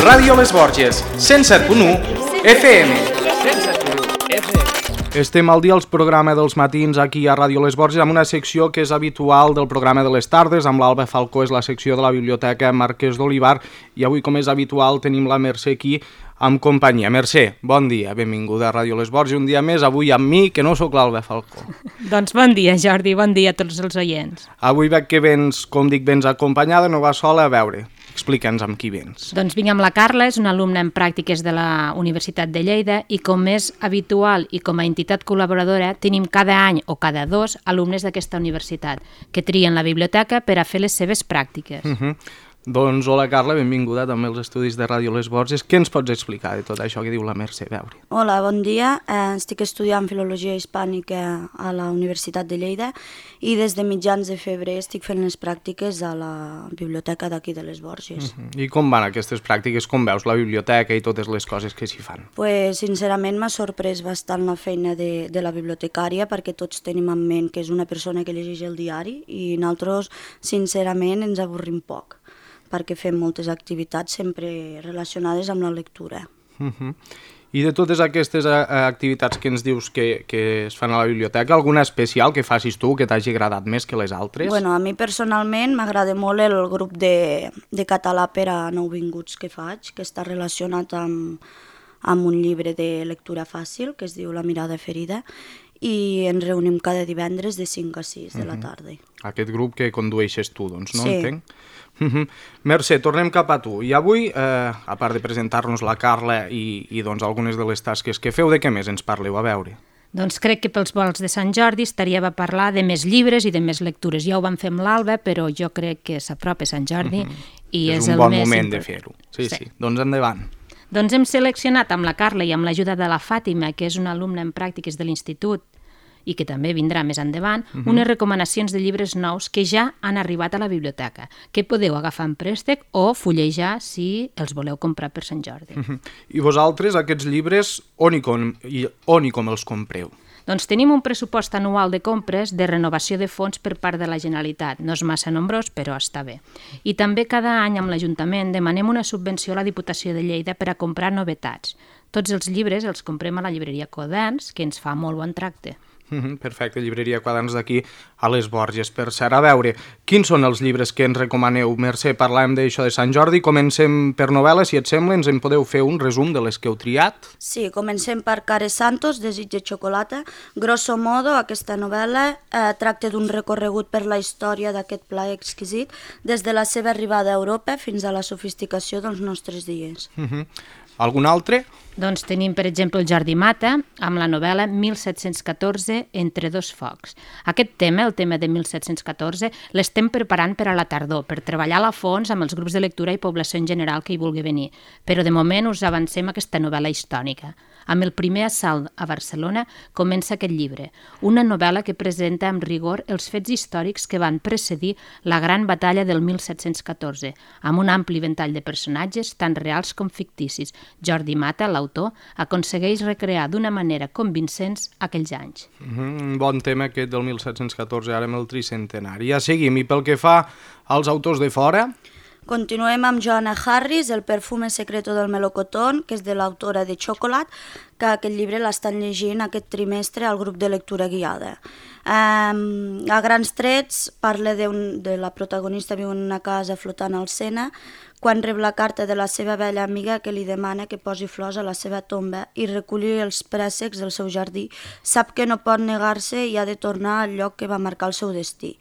Ràdio Les Borges, 107.1 FM. Estem al dia al programa dels matins aquí a Ràdio Les Borges amb una secció que és habitual del programa de les tardes. Amb l'Alba Falcó és la secció de la Biblioteca Marquès d'Olivar i avui, com és habitual, tenim la Mercè aquí amb companyia. Mercè, bon dia, benvinguda a Ràdio Les Borges. Un dia més, avui amb mi, que no sóc l'Alba Falcó. Doncs bon dia, Jordi, bon dia a tots els oients. Avui veig que vens, com dic, vens acompanyada, no vas sola. A veure, explica'ns amb qui vens. Doncs vinc amb la Carla, és una alumna en pràctiques de la Universitat de Lleida i com és habitual i com a entitat col·laboradora tenim cada any o cada dos alumnes d'aquesta universitat que trien la biblioteca per a fer les seves pràctiques. Doncs hola Carla, benvinguda també als estudis de Ràdio Les Borges. Què ens pots explicar de tot això que diu la Mercè? A veure. Hola, bon dia. Estic estudiant Filologia Hispànica a la Universitat de Lleida i des de mitjans de febrer estic fent les pràctiques a la biblioteca d'aquí de Les Borges. I com van aquestes pràctiques? Com veus la biblioteca i totes les coses que s'hi fan? Pues, sincerament m'ha sorprès bastant la feina de la bibliotecària perquè tots tenim en ment que és una persona que llegeix el diari i nosaltres, sincerament, ens avorrim poc, perquè fem moltes activitats sempre relacionades amb la lectura. I de totes aquestes activitats que ens dius que es fan a la biblioteca, alguna especial que facis tu que t'hagi agradat més que les altres? Bueno, a mi personalment m'agrada molt el grup de català per a nouvinguts que faig, que està relacionat amb un llibre de lectura fàcil que es diu La mirada ferida, i ens reunim cada divendres de 5 a 6 de la tarda. Aquest grup que condueixes tu, doncs, no? Sí. Entenc? Mercè, tornem cap a tu. I avui, a part de presentar-nos la Carla i doncs, algunes de les tasques que feu, de què més ens parleu? A veure. Doncs crec que pels volts de Sant Jordi estaria a parlar de més llibres i de més lectures. Ja ho vam fer amb l'Alba, però jo crec que s'apropa Sant Jordi i és el més... És un bon moment de fer-ho. Sí. Doncs endavant. Doncs hem seleccionat amb la Carla i amb l'ajuda de la Fàtima, que és una alumna en pràctiques de l'institut i que també vindrà més endavant, unes recomanacions de llibres nous que ja han arribat a la biblioteca, que podeu agafar en préstec o fullejar si els voleu comprar per Sant Jordi. I vosaltres, aquests llibres, on i com els compreu? Doncs tenim un pressupost anual de compres de renovació de fons per part de la Generalitat. No és massa nombrós, però està bé. I també cada any amb l'Ajuntament demanem una subvenció a la Diputació de Lleida per a comprar novetats. Tots els llibres els comprem a la llibreria Quaderns, que ens fa molt bon tracte. Perfecte, llibreria Quaderns d'aquí a Les Borges. Per cert, a veure, quins són els llibres que ens recomaneu? Mercè, parlàvem d'això de Sant Jordi, comencem per novel·la, si et sembla, ens en podeu fer un resum de les que heu triat? Sí, comencem per Care Santos, Desig de xocolata. Grosso modo, aquesta novel·la tracta d'un recorregut per la història d'aquest pla exquisit, des de la seva arribada a Europa fins a la sofisticació dels nostres dies. Algun altre? Doncs tenim, per exemple, el Jordi Mata, amb la novel·la 1714, Entre dos focs. Aquest tema, el tema de 1714, l'estem preparant per a la tardor, per treballar a fons amb els grups de lectura i població en general que hi vulgui venir. Però de moment us avancem aquesta novel·la històrica. Amb el primer assalt a Barcelona comença aquest llibre, una novel·la que presenta amb rigor els fets històrics que van precedir la gran batalla del 1714, amb un ampli ventall de personatges tant reals com ficticis. Jordi Mata, l'autor, aconsegueix recrear d'una manera convincent aquells anys. Un bon tema aquest del 1714, ara amb el tricentenari. Ja seguim, i pel que fa als autors de fora... Continuem amb Joanna Harris, El perfume secreto del melocotón, que és de l'autora de Chocolate, que aquest llibre l'estan llegint aquest trimestre al grup de lectura guiada. A grans trets parla de la protagonista viu en una casa flotant al Sena, quan rep la carta de la seva vella amiga que li demana que posi flors a la seva tomba i reculli els préssecs del seu jardí. Sap que no pot negar-se i ha de tornar al lloc que va marcar el seu destí.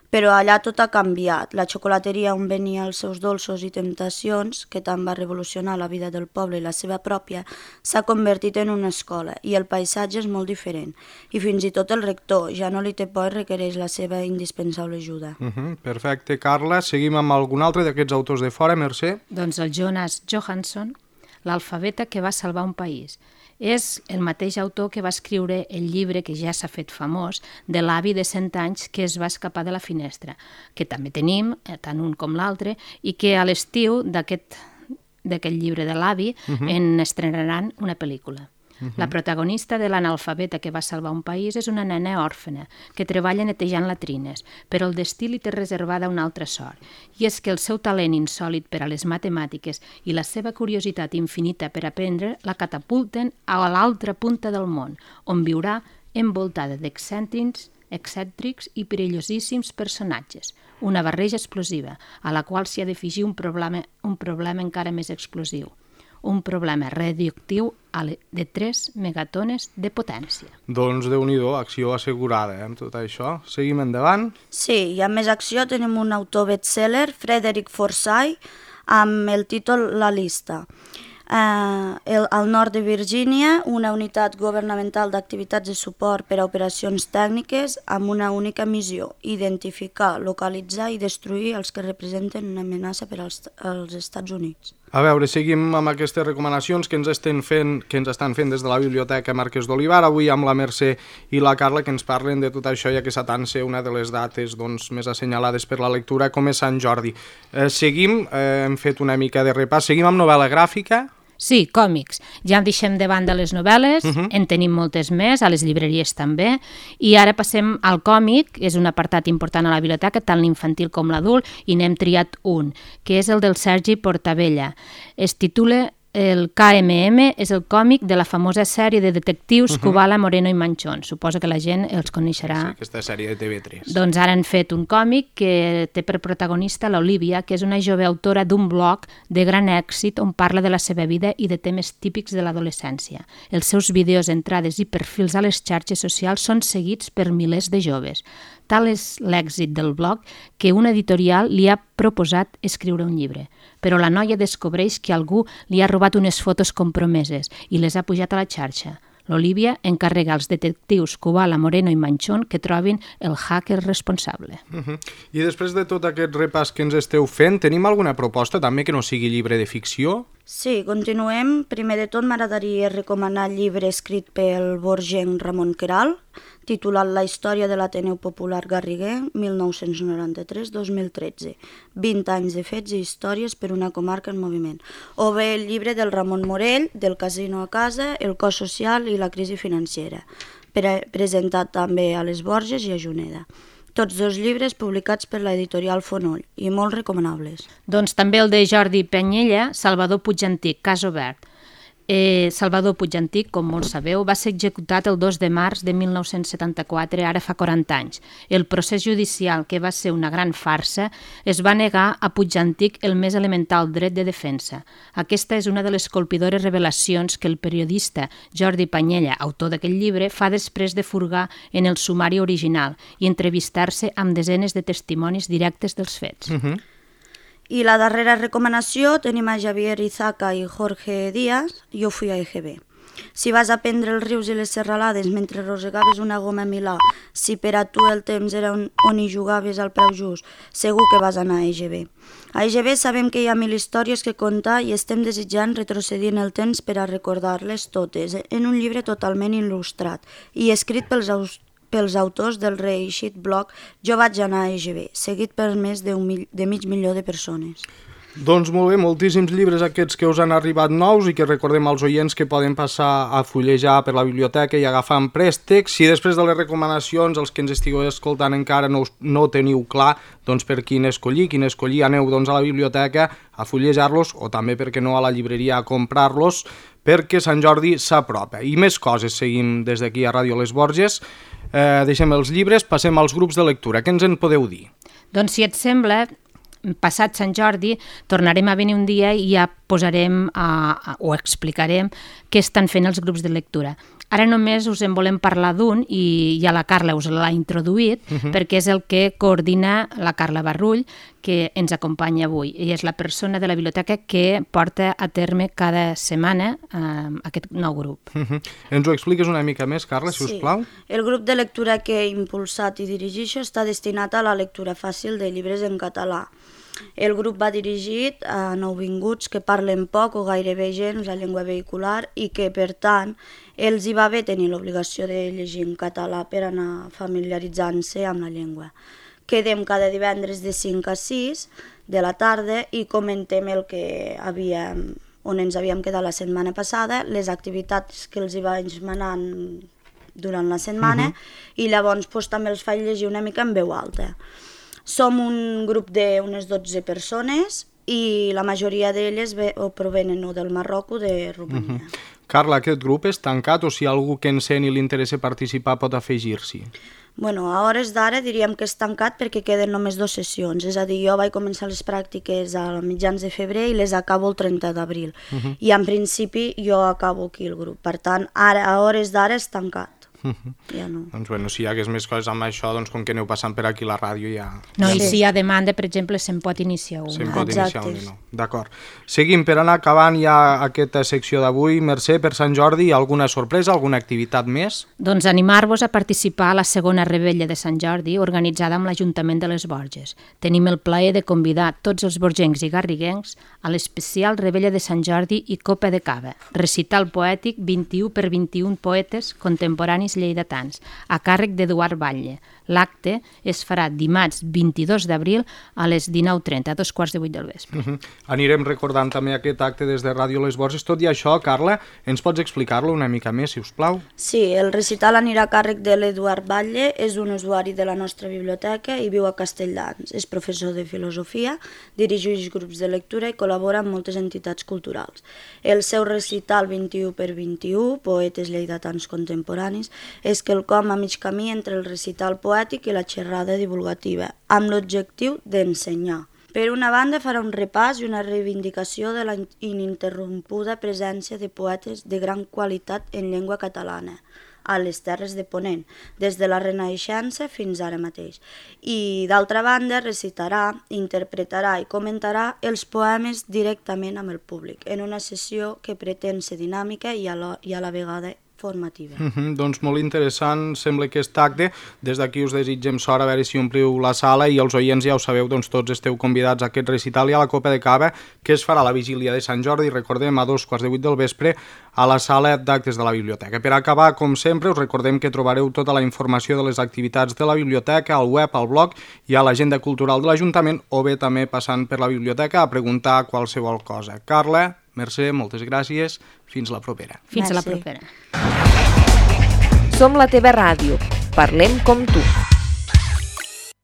Però allà tot ha canviat. La xocolateria on venia els seus dolços i temptacions, que tant va revolucionar la vida del poble i la seva pròpia, s'ha convertit en una escola i el paisatge és molt diferent. I fins i tot el rector ja no li té por i requereix la seva indispensable ajuda. Perfecte, Carla. Seguim amb algun altre d'aquests autors de fora, Mercè? Doncs el Jonas Johansson, L'alfabeta que va salvar un país. És el mateix autor que va escriure el llibre que ja s'ha fet famós de l'avi de 100 anys que es va escapar de la finestra, que també tenim, tant un com l'altre, i que a l'estiu d'aquest llibre de l'avi en estrenaran una pel·lícula. La protagonista de l'analfabeta que va salvar un país és una nena òrfena que treballa netejant latrines, però el destí li té reservada una altra sort. I és que el seu talent insòlit per a les matemàtiques i la seva curiositat infinita per aprendre la catapulten a l'altra punta del món, on viurà envoltada excèntrics i perillosíssims personatges, una barreja explosiva, a la qual s'hi ha d'afegir un problema encara més explosiu, un problema radioactiu de 3 megatones de potència. Doncs Déu-n'hi-do, acció assegurada amb tot això. Seguim endavant. Sí, i a més acció tenim un autor bestseller, Frederick Forsyth, amb el títol La Lista. Al nord de Virgínia, una unitat governamental d'activitats de suport per a operacions tècniques amb una única missió: identificar, localitzar i destruir els que representen una amenaça per als Estats Units. A veure, seguim amb aquestes recomanacions que ens estan fent des de la Biblioteca Marquès d'Olivar, avui amb la Mercè i la Carla, que ens parlen de tot això, ja que s'atansa una de les dates més assenyalades per la lectura, com és Sant Jordi. Seguim, hem fet una mica de repàs, seguim amb novel·la gràfica. Sí, còmics. Ja deixem de banda les novel·les, en tenim moltes més, a les llibreries també, i ara passem al còmic, és un apartat important a la biblioteca, tant l'infantil com l'adult, i n'hem triat un, que és el del Sergi Portabella. Es titula El KMM, és el còmic de la famosa sèrie de detectius Kubala, Moreno i Manchón. Suposo que la gent els coneixerà. Sí, aquesta sèrie de TV3. Doncs ara han fet un còmic que té per protagonista l'Olivia, que és una jove autora d'un blog de gran èxit on parla de la seva vida i de temes típics de l'adolescència. Els seus vídeos, entrades i perfils a les xarxes socials són seguits per milers de joves. Tal és l'èxit del blog que una editorial li ha proposat escriure un llibre. Però la noia descobreix que algú li ha robat unes fotos compromeses i les ha pujat a la xarxa. L'Olivia encarrega als detectius Kubala, Moreno i Manchón que trobin el hacker responsable. I després de tot aquest repàs que ens esteu fent, tenim alguna proposta també que no sigui llibre de ficció? Sí, continuem. Primer de tot m'agradaria recomanar el llibre escrit pel borgenc Ramon Queralt, titulat La història de l'Ateneu Popular Garriguer, 1993-2013. 20 anys de fets i històries per una comarca en moviment. O bé el llibre del Ramon Morell, Del casino a casa, El cos social i la crisi financera, presentat també a les Borges i a Juneda. Tots dos llibres publicats per l'editorial Fonoll i molt recomanables. Doncs també el de Jordi Penyella, Salvador Puigantic, Cas obert. Salvador Puigantic, com molts sabeu, va ser executat el 2 de març de 1974, ara fa 40 anys. El procés judicial, que va ser una gran farsa, es va negar a Puigantic el més elemental dret de defensa. Aquesta és una de les colpidores revelacions que el periodista Jordi Penyella, autor d'aquest llibre, fa després de furgar en el sumari original i entrevistar-se amb desenes de testimonis directes dels fets. I la darrera recomanació tenim a Javier Izaca i Jorge Díaz, Jo fui a EGB. Si vas a prendre els rius i les serralades mentre rosegaves una goma a Milà, si per a tu el temps era on hi jugaves al preu just, segur que vas anar a EGB. A EGB sabem que hi ha 1000 històries que contar i estem desitjant retrocedir en el temps per a recordar-les totes, en un llibre totalment il·lustrat i escrit pels autors del reeixit blog Jo vaig anar a EGB, seguit per més de 500.000 de persones. Doncs molt bé, moltíssims llibres aquests que us han arribat nous i que recordem als oients que poden passar a fullejar per la biblioteca i agafar en préstec. Si després de les recomanacions, els que ens estigueu escoltant encara no teniu clar doncs per quin escollir, aneu doncs a la biblioteca a fullejar-los o també, perquè no, a la llibreria a comprar-los, perquè Sant Jordi s'apropa. I més coses seguim des d'aquí a Ràdio Les Borges. Deixem els llibres, passem als grups de lectura. Què ens en podeu dir? Doncs si et sembla, passat Sant Jordi tornarem a venir un dia i ja posarem o explicarem què estan fent els grups de lectura. Ara només us en volem parlar d'un i ja la Carla us l'ha introduït perquè és el que coordina la Carla Barrull, que ens acompanya avui i és la persona de la biblioteca que porta a terme cada setmana aquest nou grup. Ens ho expliques una mica més, Carla, si us plau? El grup de lectura que he impulsat i dirigeixo està destinat a la lectura fàcil de llibres en català. El grup va dirigit a nouvinguts que parlen poc o gairebé gens la llengua vehicular i que, per tant, els hi va bé tenir l'obligació de llegir en català per anar familiaritzant-se amb la llengua. Quedem cada divendres de 5 a 6 de la tarda i comentem el que havíem on ens havíem quedat la setmana passada, les activitats que els hi vaig manant durant la setmana, i llavors també els faig llegir una mica en veu alta. Som un grup d'unes 12 persones i la majoria d'elles provenen o del Marroc o de Romania. Carla, aquest grup és tancat o si hi ha algú que encén i li interessa participar pot afegir-s'hi? Bueno, a hores d'ara diríem que és tancat perquè queden només 2 sessions, és a dir, jo vaig començar les pràctiques a mitjans de febrer i les acabo el 30 d'abril. I en principi jo acabo aquí el grup, per tant, ara, a hores d'ara és tancat. Ja no. Doncs bueno, si hi hagués més coses amb això, doncs com que aneu passant per aquí la ràdio ja... No, i si hi ha demanda, per exemple, se'n pot iniciar una. Se'n pot iniciar una, no. D'acord. Seguim, per anar acabant ja aquesta secció d'avui. Mercè, per Sant Jordi, alguna sorpresa, alguna activitat més? Doncs animar-vos a participar a la segona rebella de Sant Jordi organitzada amb l'Ajuntament de les Borges. Tenim el plaer de convidar tots els borgencs i garriguencs a l'especial rebella de Sant Jordi i Copa de Cava, recital poètic 21 per 21 poetes contemporanis lleidatans, a càrrec d'Eduard Batlle. L'acte es farà dimarts 22 d'abril a les 19:30, a 2:15 del vespre. Anirem recordant també aquest acte des de Ràdio Les Borges. Tot i això, Carla, ens pots explicar-lo una mica més, si us plau? Sí, el recital anirà a càrrec de l'Eduard Batlle, és un usuari de la nostra biblioteca i viu a Castelldans. És professor de filosofia, dirigeix grups de lectura i col·labora amb moltes entitats culturals. El seu recital 21 per 21, poetes lleidatans contemporanis, és quelcom a mig camí entre el recital poètic i la xerrada divulgativa, amb l'objectiu d'ensenyar. Per una banda, farà un repàs i una reivindicació de la ininterrompuda presència de poetes de gran qualitat en llengua catalana a les Terres de Ponent, des de la Renaixença fins ara mateix. I, d'altra banda, recitarà, interpretarà i comentarà els poemes directament amb el públic, en una sessió que pretén ser dinàmica i a la vegada formativa. Doncs molt interessant sembla aquest acte. Des d'aquí us desitgem sort, a veure si ompliu la sala, i els oients ja ho sabeu, doncs tots esteu convidats a aquest recital i a la Copa de Cava, que es farà a la vigília de Sant Jordi, recordem, a 2:15 del vespre, a la sala d'actes de la biblioteca. Per acabar, com sempre, us recordem que trobareu tota la informació de les activitats de la biblioteca al web, al blog i a l'agenda cultural de l'Ajuntament, o bé també passant per la biblioteca a preguntar qualsevol cosa. Carla, Mercè, moltes gràcies. Fins la propera. Fins a la propera. Som la teva ràdio. Parlem com tu.